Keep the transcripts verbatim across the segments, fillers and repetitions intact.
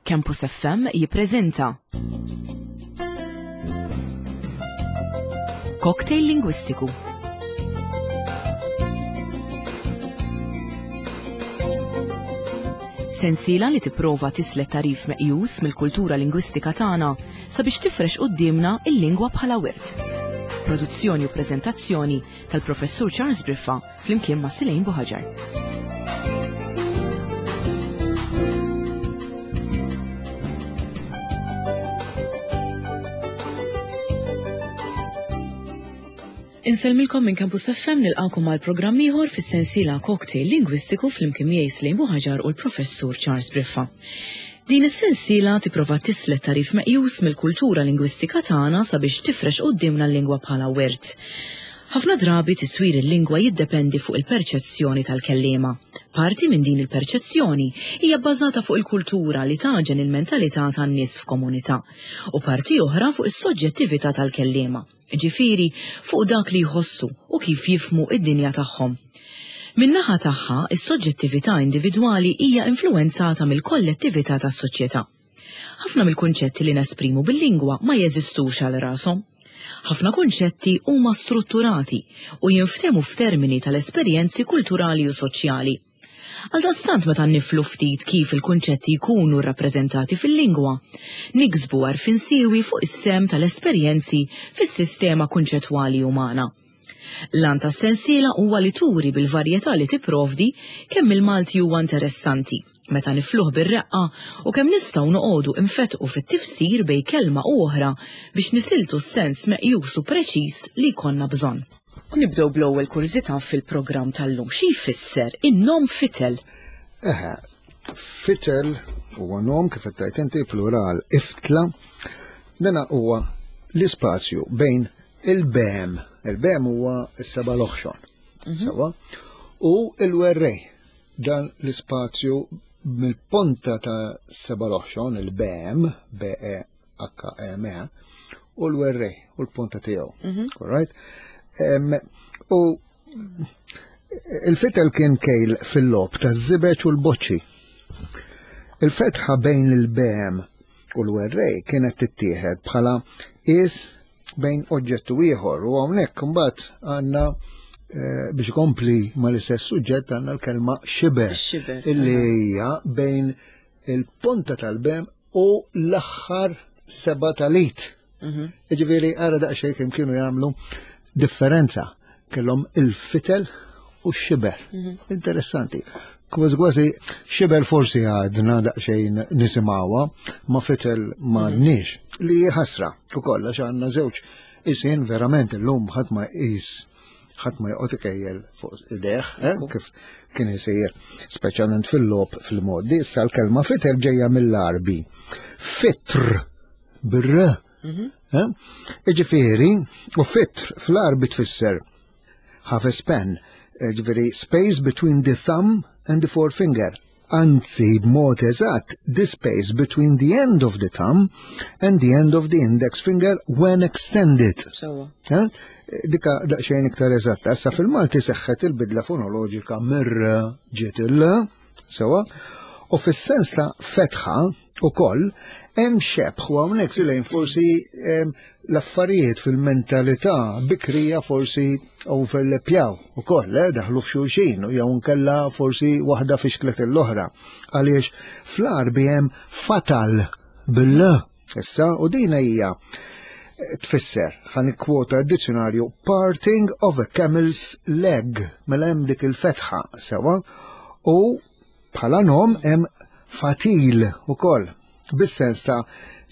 Campus F M jippreżenta Cocktail Lingwistiku. Sensiela li tipprova tislet tarif meqjus mill-kultura lingwistika tagħna sabiex tifrex quddiemna il-lingwa bħala wirt. Produzzjoni u preżentazzjoni tal-Professur Charles Briffa flimkien ma' Silejn Buħaġar. Insellmilkom minn Campus F M, nilqakom għal programm ieħor fis-sensiela Cocktail Lingwistiku flimkien miegħi Silejn Buħaġar u l-Professur Charles Briffa. Din is-sensiela tipprova tislet tarif meqjus mill-kultura lingwistika tagħna sabiex tifrex quddiemna l-lingwa bħala wirt. Ħafna drabi tiswir il-lingwa jiddependi fuq il-perċezzjoni tal-kelliema. Parti minn din il-perċezzjoni hija bbażata fuq il-kultura li taġen il-mentalità tan-nies f'komunità u parti oħra fuq is-soġġettività tal-kelliema, ġifieri fuq dak li jħossu u kif jifhmu id-dinja tagħhom. Min-naħa tagħha, is-soġġettività individwali hija influwenzata mill-kollettività tas-soċjetà. Ħafna mill-kunċetti li nesprimu bil-lingwa ma jeżistux għal rashom. Ħafna kunċetti huma strutturati u jinftehmu f'termini tal-esperjenzi kulturali u soċjali. Għaldaqstant meta niflu ftit kif il-kunċetti jkunu rrappreżentati fil-lingwa, niksbu għarfien siewi fuq is-sem tal-esperjenzi fis-sistema kunċettwali umana. L-għan tas-sensiela huwa li turi bil-varjetà li tipprovdi kemm il-Malti huwa interessanti, meta nifluh bir-reqqa u kemm nistgħu noqogħdu infetqu fit-tifsir bejn kelma u oħra biex nisiltu s-sens meqjus u preċiż li jkollna bżonn. U nibdew bl-ewwel kurżità fil-programm tal-lum. Xi jfisser in-nom fitel? Eħe, fitel huwa nom kif qed tgħid inti plural iftla. Dana huwa l-ispazju bejn il-bem, il-bem huwa s-seba' l-oħxon, Mhm. sewa, u l-werrej. Dan l-ispazju mill-ponta ta' seba' l-oħxon, il-bem, B E H M E, u l-werrej, u l-ponta tiegħu. Mhm. All right? Em, u il-fitel kien kejl fil-lob ta' żibeġ u l-boċċi. Il-fetħa bejn il-bem u l-werrej kienet tittieħed bħala is bejn oġġett u ieħor, u hawnhekk imbagħad għandna, eh, biex ikompli mal-istess suġġett għandna l-kelma xiber, Xiber, illi aha. hija bejn il-ponta tal-bem u l-aħħar seba' tal-it. Mhm. Jiġifieri ara daqsxejn kemm kienu jagħmlu differenza, kellhom il-fitel u x-xiber. Mhm. Interessanti. Kważi kważi xiber forsi għadna daqsxejn nisimgħuha, ma fitel m'għandniex. Li ħasra ukoll għax għandna żewġ isien verament illum ħadd ma jqis, ħadd ma joqgħod ikejjel fuq idejh, eh, Ekku. kif kien isir speċjalment fil-logħob fil-modi. Issa l-kelma fitel ġejja mill-Arbi. Fitr bir-r. Mhm. Eh? Jiġifieri, u fitr fl-Arbi tfisser half a span, jiġifieri space between the thumb and the forefinger. Anzi, b'mod eżatt, the space between the end of the thumb and the end of the index finger when extended. Sewa. Eh? Dika daqsxejn iktar eżatta. Issa fil-Malti seħħet il-bidla fonoloġika mir ġiet il sewa, u fis-sens ta' fetħa ukoll hemm xebħ, u hawnhekk silejn forsi, em, l-affarijiet fil-mentalità bikrija forsi overlapjaw ukoll, eh, daħlu f'xulxin, jew nkella forsi waħda fixklet l-oħra. Għaliex fl-Arbi hemm fatal bil-l issa, u dina hija tfisser, ħa nikkwota d-dizzjonarju, parting of a camel's leg, mela hemm dik il-fetħa sewa, u bħala nom hemm fatil ukoll, bis-sens ta'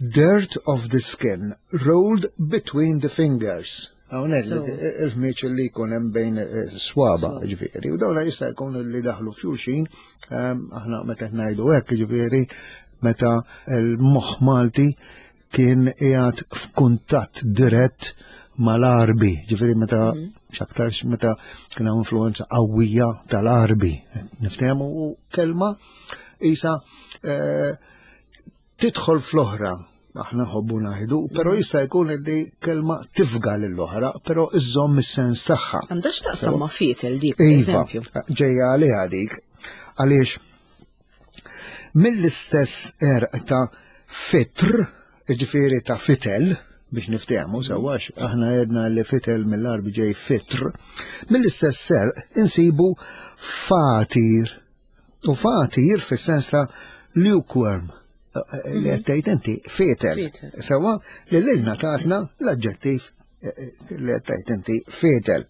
dirt of the skin rolled between the fingers. Hawnhekk So. dik il-ħmieġ li jkun hemm bejn, eh, swaba, Swaba. ġifieri. U dawla jista' jkun li daħlu f'xulxin, ehm, aħna meta qed ngħidu hekk, ġifieri, meta l-moħħ Malti kien qiegħed f'kuntatt dirett mal-Arbi, ġifieri meta Mhm. x'aktarx meta kien hawn influenza qawwija tal-Arbi. Niftehmu u kelma isa, eh, tidħol fl-oħra, aħna nħobbu ngħidu, però jista' jkun li kelma tifga lill-oħra, però iżżomm is-sens tagħha. Għandha x'taqsam Sewa. ma' fitel dik, per Iva, eżempju. ġejja għaliha dik, għaliex Mill-istess għerq ta' fitr, ġifieri ta' fitel, biex niftehmu sewwa aħna għedna li fitel mill-Għarbi ġej fitr, mill-istess għerq insibu fatir. U fatir fis-sens ta' lukewarm, li qed tgħid inti fitel. Fitel. Sewwa li lilna tatna l-aġġettiv li qed tgħid inti fitel.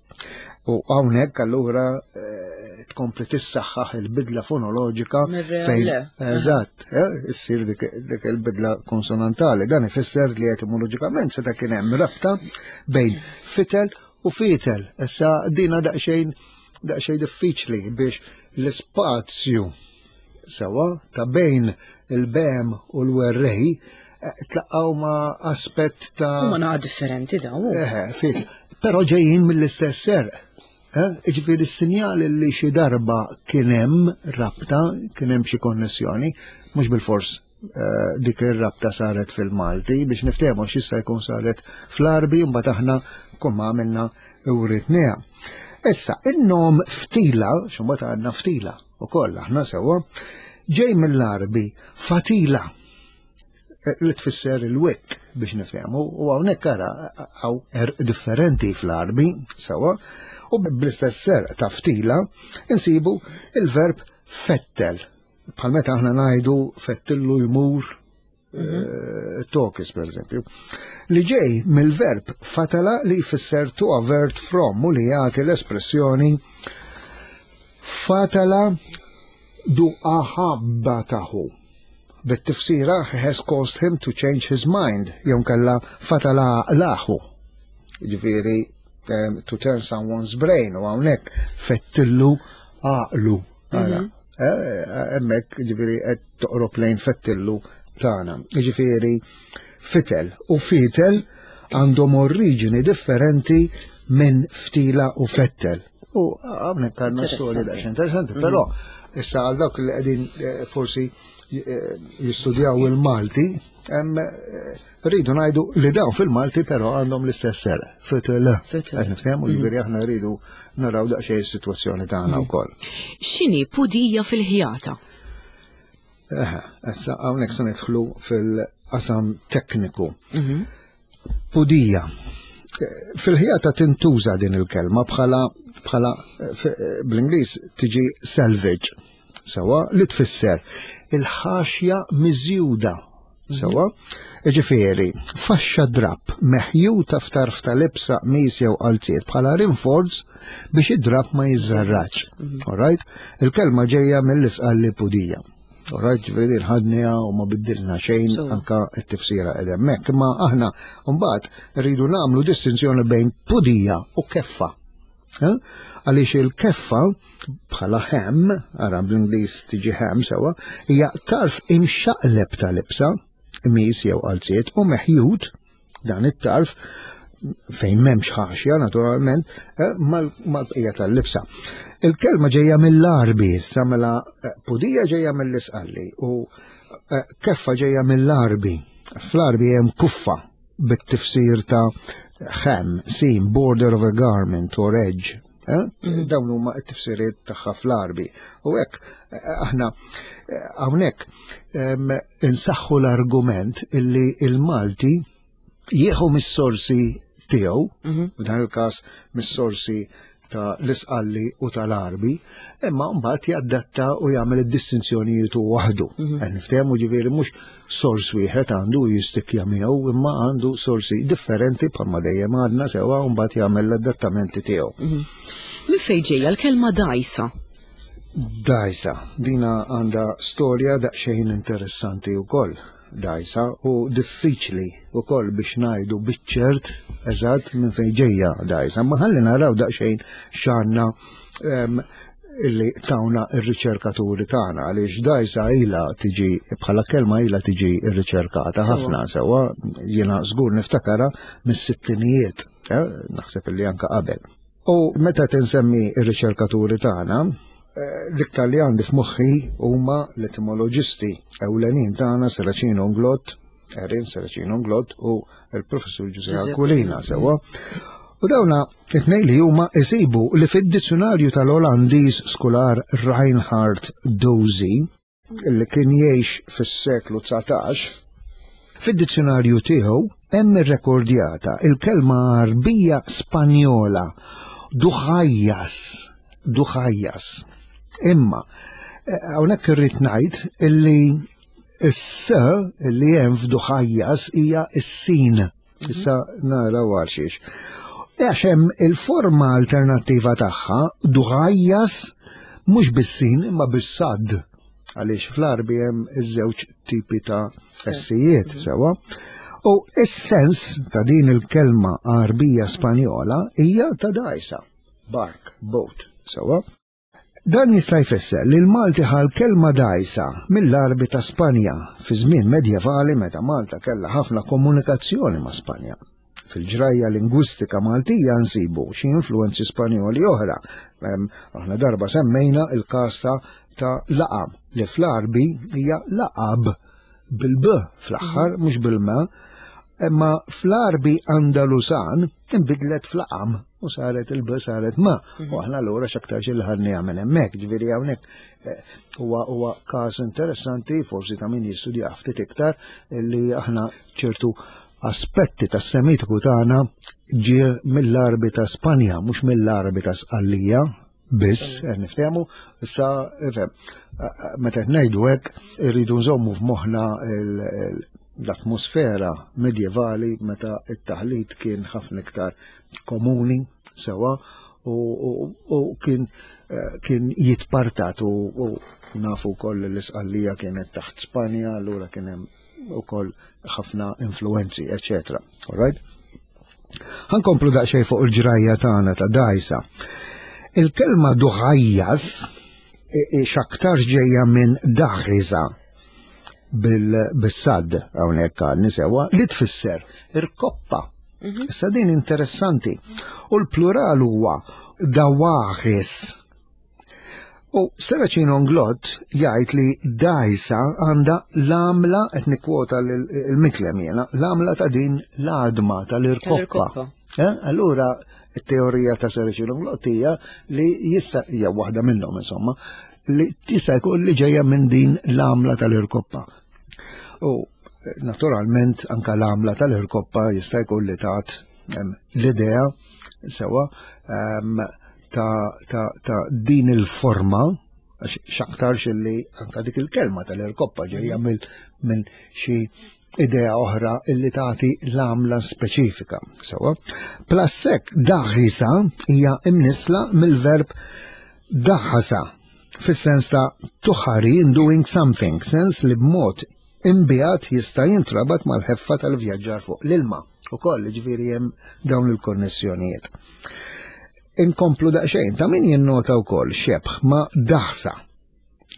U hawnhekk allura eh, tkompli tissaħħaħ il-bidla fonoloġika Mir-re fejn le. Eżatt, eh, issir dik dik il-bidla konsonantali. Dan ifisser li etimoloġikament seta' kien hemm rabta bejn fitel u fitel. Issa dina daqsxejn daqsxejn diffiċli biex l-ispazju sewwa ta' bejn il-bem u l-werrej eh, tlaqqaw ma' aspett ta' Huma naqa differenti daw. Eħe, fit. Però ġejjin mill-istess għerq. Eh? Ġifieri s-sinjali li xi darba kien hemm rabta, kien hemm xi konnessjoni, mhux bil-fors eh, dik ir-rabta saret fil-Malti biex niftehmu x'issa jkun saret fl-Għarbi mbagħad aħna kull ma għamilna uritniha. Issa, in-nom ftila, x'imbagħad għandna ftila ukoll aħna sewwa, ġej mill-Għarbi fatila eh, li tfisser il-wick biex nifhmu u hawnhekk ara hawn għerq differenti fl-Għarbi sewwa u bl-istess għerq ta' ftila insibu il-verb fettel. Bħal meta aħna ngħidu fettillu jmur eh, tokis per eżempju. Li ġej mill-verb fatala li jfisser to avert from u li jagħti l-espressjoni fatala du aħabbatahu. Bit-tifsira has caused him to change his mind, jew kella fatala lahu. Ġifieri um, to turn someone's brain u hawnhekk fettillu għaqlu. Ara, eh, hemmhekk ġifieri qed toqrob lejn fettillu tagħna. Ġifieri fitel u fitel għandhom oriġini differenti minn ftila u fettel. U hawnhekk għandna storja daqsxejn interessanti, però issa għal dawk li qegħdin eh, forsi eh, jistudjaw il-Malti, hemm eh, rridu ngħidu li dawn fil-Malti però għandhom l-istess għerq. Fitel. Fitel. Qed niftehmu ġifieri aħna rridu naraw daqsxejn is-sitwazzjoni tagħna wkoll. X'inhi pudija fil-ħjata? Eħe, issa hawnhekk se nidħlu fil-qasam tekniku. Pudija. Eh, Fil-ħjata tintuża din il-kelma bħala bħala eh, fi- eh, bl-Ingliż tiġi selvage. Sewwa li tfisser il-ħaxja miżjuda. Sewwa, ġifieri, faxxa drap meħjuta f'tarf ta' libsa qmis jew qalziet bħala rinforz biex id-drap ma jiżżarraġ. Alright? Il-kelma ġejja mill-isqalli pudija. Alright, ġifieri din ħadniha u ma biddilna xejn So. anka t-tifsira qed hemmhekk. Imma aħna mbagħad rridu nagħmlu distinzjoni bejn pudija u keffa. Eh? Għaliex il-keffa bħala hem, ara bl-Ingliż tiġi hem sewwa, hija tarf imxaqleb ta' libsa, qmis jew qalziet u meħjut dan it-tarf fejn m'hemmx ħaxja naturalment eh, mal- mal-bqija tal-libsa. Il-kelma ġejja mill-Għarbi, issa mela eh, pudija ġejja mill-isqalli u eh, keffa ġejja mill-Għarbi. Fl-Għarbi hemm kuffa bit-tifsir ta' hem, seam, border of a garment or edge. Eh? Dawn huma t-tifsiriet tagħha fl-Għarbi. U hekk eh, aħna eh, hawnhekk em, insaħħu l-argument illi il-Malti jieħu mis-sorsi tiegħu, f'dan il-każ mis-sorsi ta' l-isqalli u tal-Għarbi, imma mbagħad jaddatta u jagħmel id-distinzjonijiet u waħdu. Qed niftehmu ġifieri mhux sors wieħed għandu jistikja miegħu, imma għandu sorsi differenti bħalma dejjem għadna sewwa u mbagħad jagħmel l-adattamenti tiegħu. Min fejn ġejja l-kelma dajsa? Dajsa, dina għandha storja daqsxejn interessanti wkoll. Dajsa u diffiċli wkoll biex ngħidu biċ-ċert eżatt minn fejn ġejja dajsa. Ma ħalli naraw daqsxejn x'għandna em, illi tawna ir-riċerkaturi tagħna għaliex dajsa ilha tiġi bħala kelma ilha tiġi rriċerkata Sewwa. ħafna sewwa jiena żgur niftakara mis-sittinijiet, eh, naħseb illi anka qabel. U meta tinsemmi ir-riċerkaturi tagħna, eh, l-iktar li għandi f'moħħi huma l-etimoloġisti ewlenin tagħna Serracino Inglott, Erin Serracino Inglott u l-professur Giuseppe Giuseppe. Aquilina sewwa. U dawna it-tnejn li huma isibu li fid-dizzjonarju tal-Olandiż skular Reinhard Dozy Illi kien jgħix fis-seklu dsatax, fid-dizzjonarju tiegħu hemm irrekordjata il-kelma Arbija Spanjola duħajjas, duħajjas. Imma eh, hawnhekk irrid ngħid illi s-s illi hemm f'duħajjas hija s-sin. Issa nara għal xiex. Għax hemm il-forma alternattiva tagħha duħajjas, mhux bis-sin imma bis-sad, għaliex fl-Arbi hemm iż-żewġ tipi ta' essijiet, sewa. U is-sens ta' din il-kelma Arbija Spanjola hija ta' dajsa, bark, boat, sewa. Dan jista' jfisser li l-Malti ħa l-kelma dajsa mill-Arbi ta' Spanja fi żmien medjevali, meta Malta kellha ħafna komunikazzjoni ma' Spanja. Fil-ġrajja lingwistika Maltija nsibu xi influenzi Spanjoli oħra. Aħna darba semmejna il-każ ta' laqam li fl-Arbi hija laqab bil-b fl-aħħar, mhux bil-m, imma fl-Arbi Andalusan inbidlet f'laqam u saret il-b saret ma. U aħna allura x'aktarx li ħadniha minn hemmhekk, ġifieri hawnhekk eh, huwa huwa każ interessanti, forsi ta' min jistudja ftit iktar, li aħna ċertu aspetti tas-Semitiku tagħna ġie mill-Arbi ta' Spanja, mhux mill-Arbi ta' Sqallija biss, qed niftehmu, issa ifhem, meta qed ngħidu hekk irridu nżommu f'moħħna l-atmosfera medjevali meta t-taħlit kien ħafna iktar komuni, sewa, u kien kien jitpartat u nafu wkoll li l-Isqallija kienet taħt Spanja, allura kien hemm ukoll ħafna influenzi, eċetera. All right? Ħa nkomplu daqsxejn fuq il-ġrajja tagħna ta' dajsa. Il-kelma duħajjas x'aktarx ġejja minn daħiża bil-sad hawnhekk għal sewa, li tfisser irkoppa. Mhm. Issa din interessanti. U l-plural huwa dawaħis. U Serracino Inglott jgħid li dajsa għandha l-għamla, qed nikkwota l-Micklem jiena, l-għamla ta' din l-għadma tal-irkoppa. Eh? Allura, it-teorija ta' Serracino Inglott hija li jista', hija waħda minnhom insomma, li tista' jkun li ġejja minn din l-għamla tal-irkoppa. U naturalment anka l-għamla tal-irkoppa jista' jkun li tat l-idea sewa ta', ta, ta din il-forma, għax x'aktarx li anka dik il-kelma tal-irkoppa ġejja minn xi idea oħra illi tagħti l-għamla speċifika. Sewa. Plus hekk daħisa hija imnisla mill-verb daħasa fis-sens ta' to hurry in doing something, sens li b'mod imbiegħed jista' jintrabat mal-ħeffa tal-vjaġġar fuq l-ilma. Ukoll ġifieri hemm dawn il-konnessjonijiet. Inkomplu daqsxejn, ta' min jinnota wkoll xebħ ma' daħsa.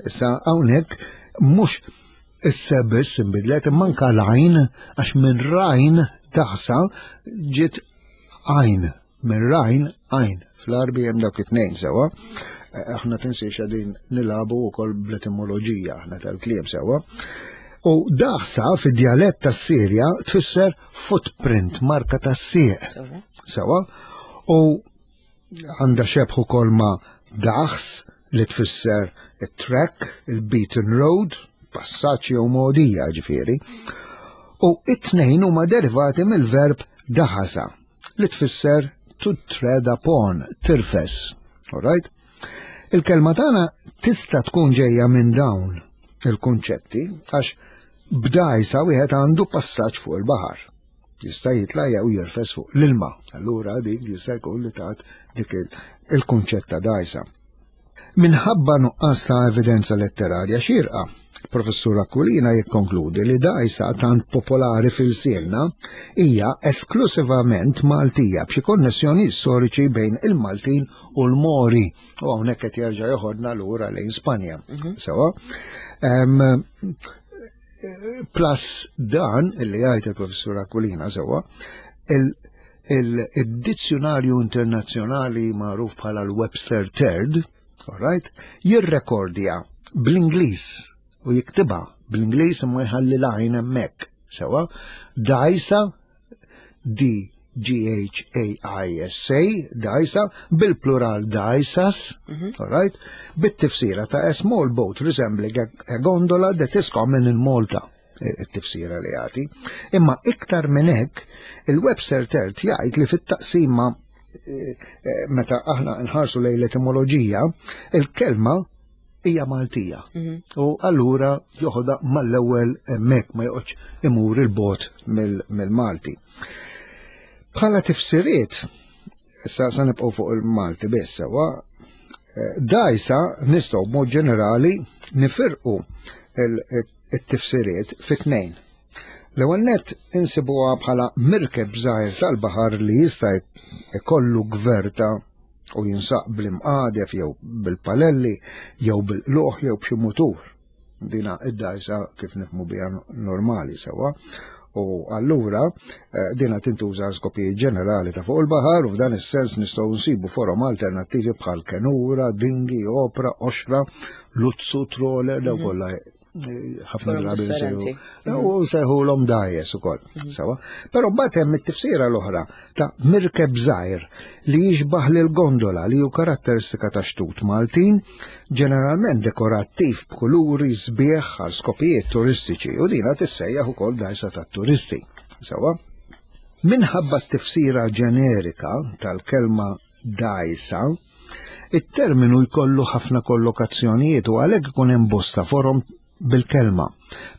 Issa hawnhekk mhux issa biss inbidlet imma anka l-għajn, għax minn rajn daħsa ġiet għajn, minn rajn għajn. Fl-Arbi hemm dawk it-tnejn sewa. Aħna tinsiex qegħdin nilagħbu wkoll bl-etimoloġija aħna tal-kliem, sewa. U daħsa fid-djalett tas-Sirja tfisser footprint, marka tas-sieq. Sewa. U għandha xebħ ukoll ma' daħs li tfisser it-track, il-beaten road, passaġġ jew mogħdija ġifieri. U it-tnejn huma derivati mill-verb daħasa li tfisser to tread upon, tirfes. All right? Il-kelma tagħna tista' tkun ġejja minn dawn il-kunċetti għax b'dajsa wieħed għandu passaġġ fuq il-baħar. Jista' jitla' jew jirfes fuq l-ilma. Allura dik jista' jkun li tat dik il-kunċett ta' dajsa. Minħabba nuqqas ta' evidenza letterarja xierqa, Professur Aquilina jikkonkludi li dajsa tant popolari f'ilsienna hija esklusivament Maltija b'xi konnessjoni storiċi bejn il-Maltin u l-Mori. U hawnhekk qed jerġa' joħodna lura lejn Spanja. Mhm. Sewa. Plus dan illi jgħid il-Professur Aquilina sewa, il-dizzjonarju internazzjonali magħruf bħala l-Webster Third, all right, jirrekordja bl-Ingliż u jiktibha bl-Ingliż imma jħalli l-għajn hemmhekk. Sewa, dajsa, D G H A I S A, dajsa, bil-plural dajsas, all right, bit-tifsira ta' a small boat resembling a, a gondola that is common in Malta, it-tifsira li jagħti. Imma iktar minn hekk, il-Webster Third jgħid li fit-taqsima eh, eh, meta aħna nħarsu lejn l-etimoloġija, il-kelma hija Maltija. U allura joħodha mal-ewwel hemmhekk, ma joqgħodx imur il-bogħod mill-Malti. Bħala tifsiriet, issa sa nibqgħu fuq il-Malti biss sewwa, eh, dajsa nistgħu b'mod ġenerali nifirqu il-tifsiriet fi tnejn. L-ewwel nett insibuha bħala mirkeb żgħir tal-baħar li jista' ikollu gverta u jinsaq bl-imqadef jew bil-palelli jew bil-qluħ jew b'xi mutur. Dina id-dajsa kif nifhmu biha normali sewwa. U allura eh, dina tintuża skopijiet ġenerali ta' fuq il-baħar u f'dan is-sens nistgħu nsibu forom alternattivi bħal kenura, dingi, opra, oxra, luzzu, troller, daw kollha eh, ħafna drabi differenti. U sejħulhom dajes ukoll. Sewwa. Però mbagħad hemm it-tifsira l-oħra ta' mirkeb żgħir li jixbaħ lil gondola li hu karatteristika ta' xtut Maltin, ġeneralment dekorattiv b'kuluri sbieħ għal skopijiet turistiċi, u dina tissejjaħ ukoll dajsa tat-turisti. Sewwa. Minħabba t-tifsira ġenerika tal-kelma dajsa, it-terminu jkollu ħafna kollokazzjonijiet u għalhekk ikun hemm bosta forom bil-kelma.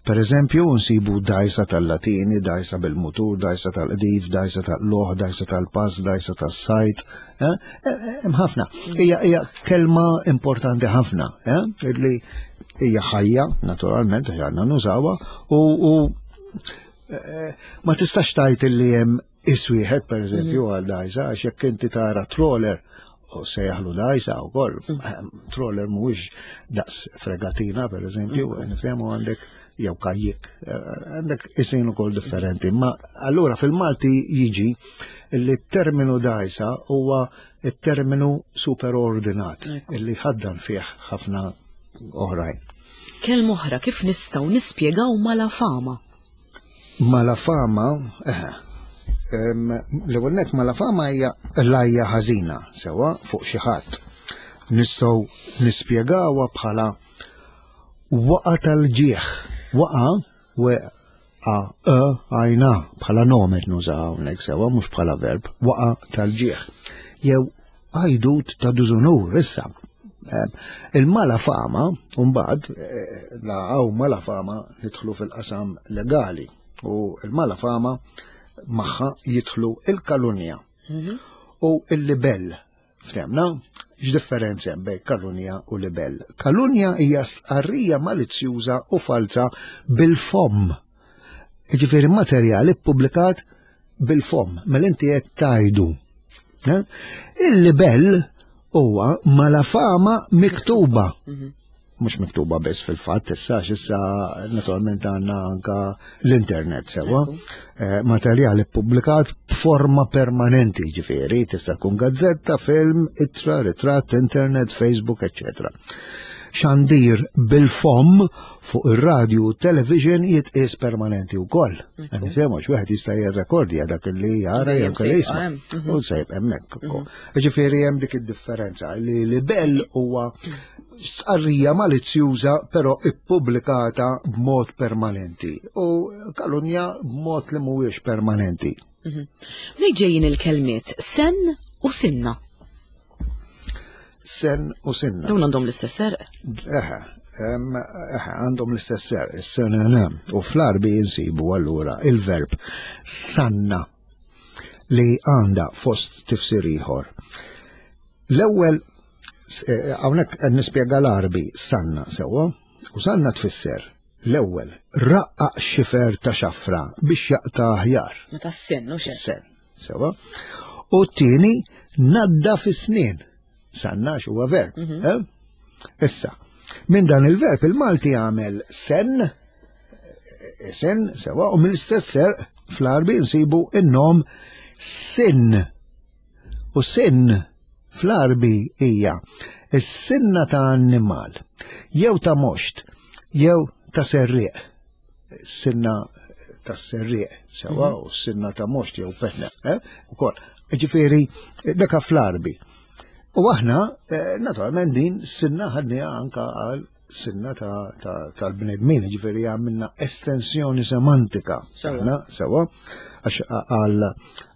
Per eżempju, nsibu dajsa tal-Latini, dajsa bil-mutur, dajsa tal-qdif, dajsa tal-loħ, dajsa tal-pass, dajsa tas-sajt. eh? Eh, Hemm ħafna. Hija hija kelma importanti ħafna, eh? Li hija ħajja, naturalment, għax għandna nużawha, u, u eh, ma tistax tgħid li hemm is wieħed, per eżempju, għal dajsa, għax jekk inti tara troller u sejjaħlu dajsa u koll. Troller mhuwiex daqs fregatina, per eżempju, nifhemu għandek jew kajjik, għandek isin ukoll differenti. Ma allura fil-Malti jiġi li t-terminu dajsa huwa il-terminu superordinat illi ħaddan fih ħafna oħrajn. Kelma oħra, kif nistgħu nispjegaw malafama? Malafama, eh, l-ewwel nett malafama hija lajja ħażina sewwa fuq xi ħadd. Nistgħu nispjegawha bħala waqa tal-ġieħ. Waqa, w a e għajna bħala nomen nuża hawnhekk sewwa, mhux bħala verb, waqa tal-ġieħ. Jew għajdut ta' dużunur issa. Il-malafama, mbagħad, eh, la għaw malafama nidħlu fil-qasam legali u il-malafama magħha jidħlu il-kalunja u il-libell. Ftemna, x'differenza hemm bejn kalunja u libell? Kalunja hija stqarrija malizzjuża u falza bil-fomm. Jiġifieri materjali ppubblikat bil-fomm, mela inti qed tajdu. Eh? Il-libell huwa malafama miktuba. Mhux miktuba biss fil-fatt, issa issa naturalment għandna anka l-internet sewwa. Eh, materjali ppubblikat b'forma permanenti, ġifieri, tista' tkun gazzetta, film, ittra, ritratt, internet, Facebook, eċċetera. Xandir bil-fomm fuq ir-radju u television jitqies permanenti wkoll. Nifhemu wieħed jista' jirrekordja dak li jara jew kelli jisma'. U sejb hemmhekk ukoll. Ġifieri hemm dik id-differenza li libell huwa stqarrija malizzjuża però ippubblikata b'mod permanenti u kalunja b'mod li mhuwiex permanenti. Mnejn ġejjin il-kelmiet sen u sinna? Sen u sinna. Dawn għandhom l-istess għerq. Eħe, em, eħe, għandhom l-istess għerq, is-sena. U fl-Arbi insibu allura il-verb sanna li għanda fost tifsir ieħor. L-ewwel eh, hawnhekk qed nispjega l-Arbi sanna sewwa, u sanna tfisser l-ewwel raqqaq xifer ta' xafra biex jaqta' aħjar. Meta s-sen, u xejn. Sen, sewwa. U t-tieni nadda fis-snien. Sanna huwa verb. Eh? Issa, minn dan il-verb il-Malti għamel sen, eh, sen, sewwa, u mill-istess għerq fl-Arbi nsibu in-nom sin. U sin fl-Arbi hija is-sinna ta' annimal, jew ta' moxt, jew ta' serrieq. Sinna tas-serrieq, sewa, u sinna ta' moxt jew petna, eh? Ukoll. Ġifieri, daka fl-Arbi. U aħna, eh, naturalment din sinna ħadniha anka għal sinna tal-bnedmin, ġifieri għamilna estensjoni semantika. Sewa. Sewa, għax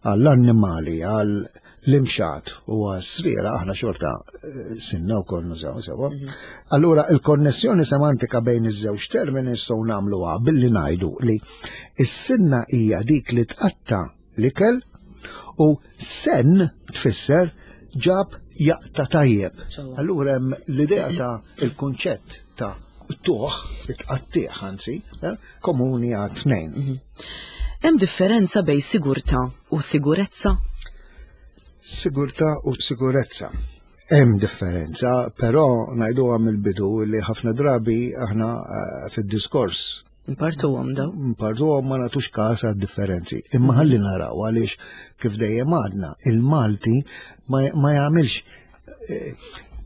għall-annimali, għal l-imxat u għas-sriera aħna xorta eh, sinna u koll nużaw sewa. Allura il-konnessjoni semantika bejn iż-żewġ termini nistgħu nagħmluha billi ngħidu li s-sinna hija dik li tqatta l-ikel u sen tfisser ġab jaqta tajjeb. Sewa. Allura hemm l-idea ta' il-kunċett ta' tuħ, it-tqattieħ anzi, eh, komuni għal tnejn. Hemm differenza bejn sigurtà u sigurezza? Sigurtà u sigurezza. Hemm differenza, però ngħiduha mill-bidu li ħafna drabi aħna eh, fid-diskors Npartuhom daw. npartuhom ma nagħtux każ għad-differenzi. Imma ħalli naraw għaliex kif dejjem għadna il-Malti ma, ma jagħmilx eh,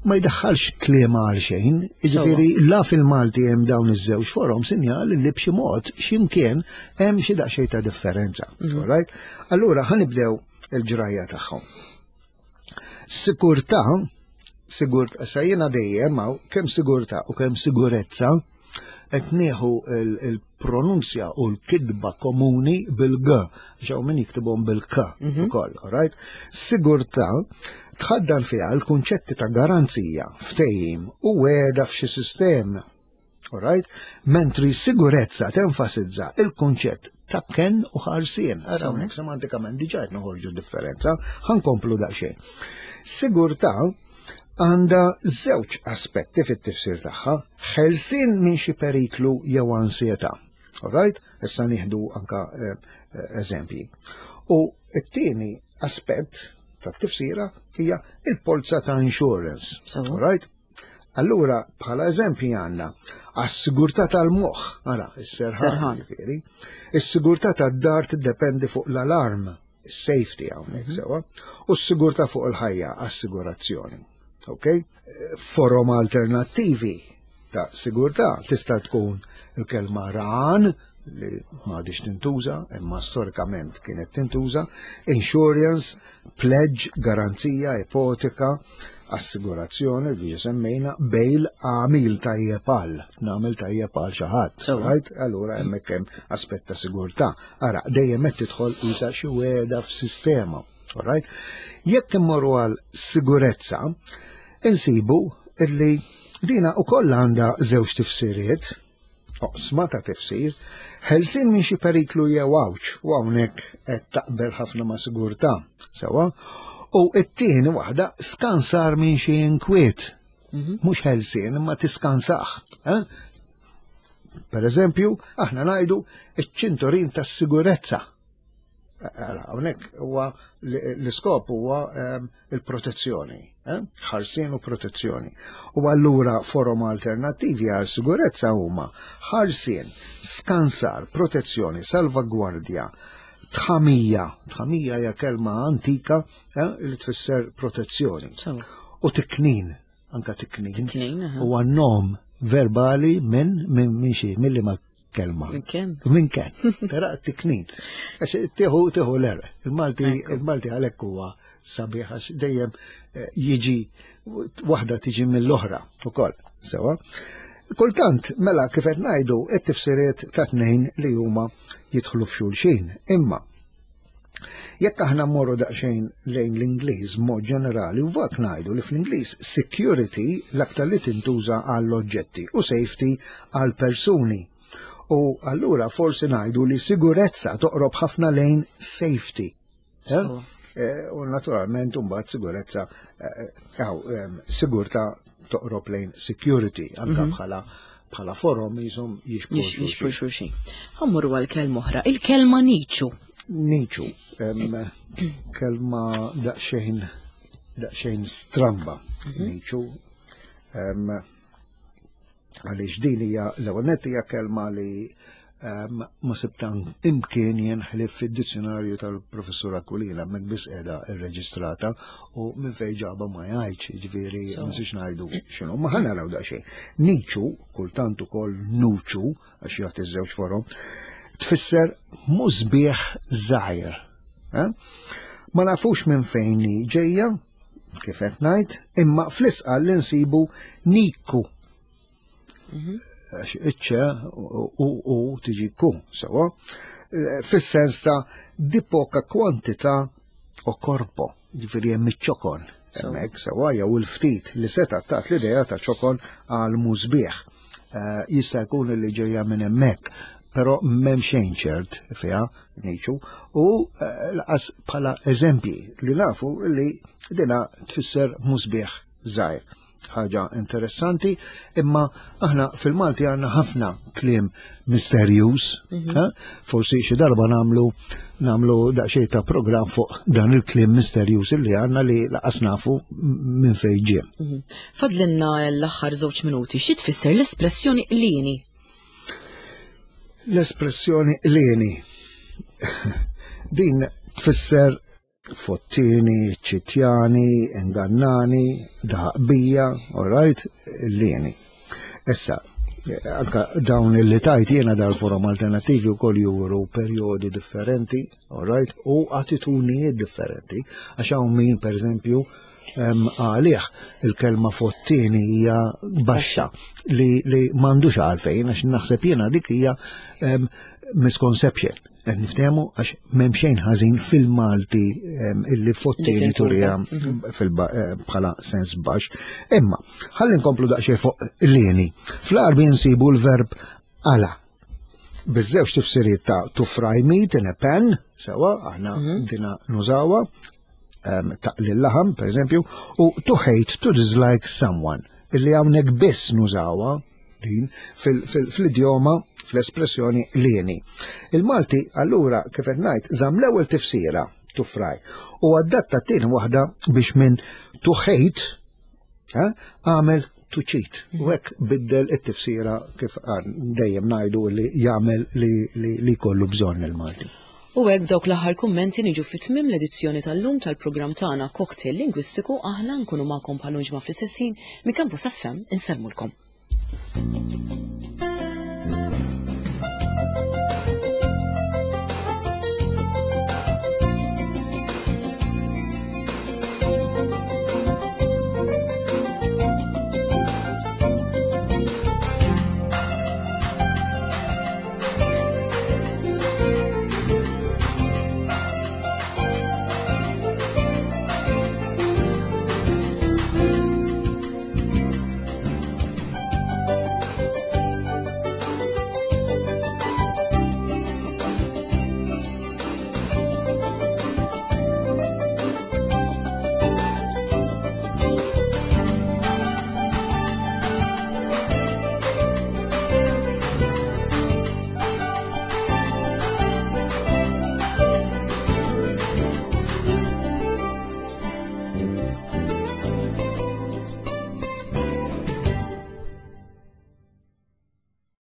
ma jdaħħalx kliem għal xejn, jiġifieri la fil-Malti hemm dawn iż-żewġ forom sinjal li b'xi mod x'imkien hemm xi daqsxejn ta' differenza. All right? Allura ħa nibdew il-ġrajja tagħhom. Sigurtà, sigurt, sa jiena dejjem hawn kemm sigurtà u kemm sigurezza qed nieħu il-pronunzja u l-kidba komuni bil-G, għax hawn min jiktibhom bil-K ukoll, all right? Sigurtà tħaddan fiha l-kunċetti ta' garanzija, ftehim u wegħda f'xi sistema. All right? Mentri sigurezza tenfasizza il-kunċett ta' ken u ħarsien. Ara hawnhekk semantikament diġà qed noħorġu differenza, ħa nkomplu daqsxejn. Sigurtà għandha żewġ aspetti fit-tifsir tagħha, ħelsien minn xi periklu jew ansjetà. All right? Issa nieħdu anka eh, eh, eżempji. U t-tieni aspett tat-tifsira hija il-polza ta' insurance. Sewa. All right? Allura, bħala eżempji għandna għas-sigurtà tal-moħħ, ara, is-serħan, Serħan. ġifieri. Is-sigurtà tad-dar tiddependi fuq l-alarm, is-safety hawnhekk sewa, u s-sigurtà fuq il-ħajja, assigurazzjoni. Ok? Forom alternattivi ta' sigurtà tista' tkun il-kelma ran, li m'għadix tintuża, imma storikament kienet tintuża, insurance, pledge, garanzija, ipoteka, assigurazzjoni li semmejna, bail, għamil tajjeb għal, nagħmel tajjeb għal xi ħadd. Sewa. Right? Allura hemmhekk hemm aspett ta' sigurtà. Ara, dejjem qed tidħol isa xi wegħda f'sistema. All right? Jekk immorru għal sigurezza, insibu illi dina ukoll għandha żewġ tifsiriet, oqsma ta' tifsir, ħelsien minn xi periklu jew għawġ, u hawnhekk qed taqbel ħafna ma' sigurtà, sewa, u t-tieni waħda skansar minn xi inkwiet. Mhux ħelsien imma tiskansaħ. Eh? Per eżempju, aħna ngħidu iċ-ċinturin tas-sigurezza. Ara, hawnhekk huwa l-iskop huwa ehm, il-protezzjoni, eh? ħarsien u protezzjoni. U allura forom alternattivi għal sigurezza huma ħarsien, skansar, protezzjoni, salvagwardja, tħamija, tħamija hija kelma antika eh, li tfisser protezzjoni. Sewa. U tiknin, anka tiknin. Tiknin, aha. Huwa nom verbali minn minn minn xi, mill ma kelma. Minn ken. Minn ken. Tara tiknin. Għax tieħu tieħu l-erq. Il-Malti il-Malti għalhekk huwa sabiħ għax dejjem eh, jiġi waħda tiġi mill-oħra ukoll. Sewa. Kultant, mela kif qed ngħidu, it-tifsiriet ta' tnejn li huma jidħlu f'xulxin. Imma jekk aħna mmorru daqsxejn lejn l-Ingliż mod ġenerali, u vak ngħidu li fl-Ingliż security l-aktar li tintuża għall-oġġetti u safety għall persuni. U allura forsi ngħidu li sigurezza toqrob ħafna lejn safety. Eh? Sewa. Eh, U naturalment mbagħad sigurezza eh, aw, em, sigurtà toqrob lejn security anka bħala bħala forom jisom jixbhu Jix- Jixbhu xulxin. xulxin. Ħa mmorru għal kelma oħra. Il-kelma niċu. Niċu, em, kelma daqsxejn daqsxejn stramba, niċu. Em, Għaliex din hija l-ewwel nett hija kelma li em, ma sibtan imkien jien ħlief fid-dizzjonarju tal-professur Aquilina hemmhekk biss qiegħda irreġistrata u minn fejn ġaba ma jgħidx, jiġifieri ma nistax ngħidu x'inhu. Ma ħa naraw daqsxejn. Niċu, kultant ukoll nuċu, għax jagħti żewġ forom, Tfisser musbieħ żgħir. Eh? Ma nafux minn fejn hi ġejja, kif qed ngħid, imma fl-Isqal li nsibu niku. Għax iċ-ċe u u tiġi ku, sewa, fis-sens ta' di poca kwantità o corpo, ġifieri hemm iċ-ċokon. Hemmhekk sewa jew il-ftit li seta' tat l-idea ta' ċokon għal musbieħ. Eh, Jista' jkun li ġejja minn hemmhekk, però m'hemm xejn ċert fiha niċu u eh, laqas bħala eżempji li nafu li dina tfisser musbieħ żgħir. Ħaġa interessanti, imma aħna fil-Malti għandna ħafna kliem misterjuż, ha? Forsi xi darba nagħmlu nagħmlu daqsxejn ta' programm fuq dan il-kliem misterjuż li għandna li laqas nafu minn fejn ġie. Fadlinna l-aħħar żewġ minuti, xi tfisser l-espressjoni qlieni? L-espressjoni qlieni. Din tfisser fottini, ċitjani, ingannani, daħqbija, all right, qlieni. Issa, anka dawn li tajt jiena dal-forom alternativi u koll juru periodi differenti, all right, u attitudnijiet differenti, għax hawn min, per eżempju, em, għalih il-kelma fottini hija baxxa li, li m'għandux għalfejn, għax naħseb jiena dik hija em, misconception. Qed niftehmu għax m'hemm xejn ħażin fil-Malti em, illi fottini Li tintuża. turija fil-ba- eh, bħala sens baxx. Imma, ħalli nkomplu daqsxejn fuq qlieni. Fl-Għarbi nsibu l-verb qala. Biż-żewġ tifsiriet ta' to fry meat in a pan, sewa, aħna dina nużawha, um, taqli l-laħam, per eżempju, u to hate, to dislike someone, illi hawnhekk biss nużawha din fil- fil- fl-idjoma, fl-espressjoni qlieni. Il-Malti, allura, kif qed ngħid, żamm l-ewwel tifsira to fry u adatta t-tieni waħda biex minn to hate eh, għamel to cheat. U hekk biddel it-tifsira kif għan dejjem ngħidu li jagħmel li, li, li kollu bżonn il-Malti. U hekk dawk l-aħħar kummenti niġu fi tmiem l-edizzjoni tal-lum tal-programm tagħna Cocktail Lingwistiku. Aħna nkunu magħkom bħal ġimgħa fl-istess ħin minn Campus F M. Insellmulkom.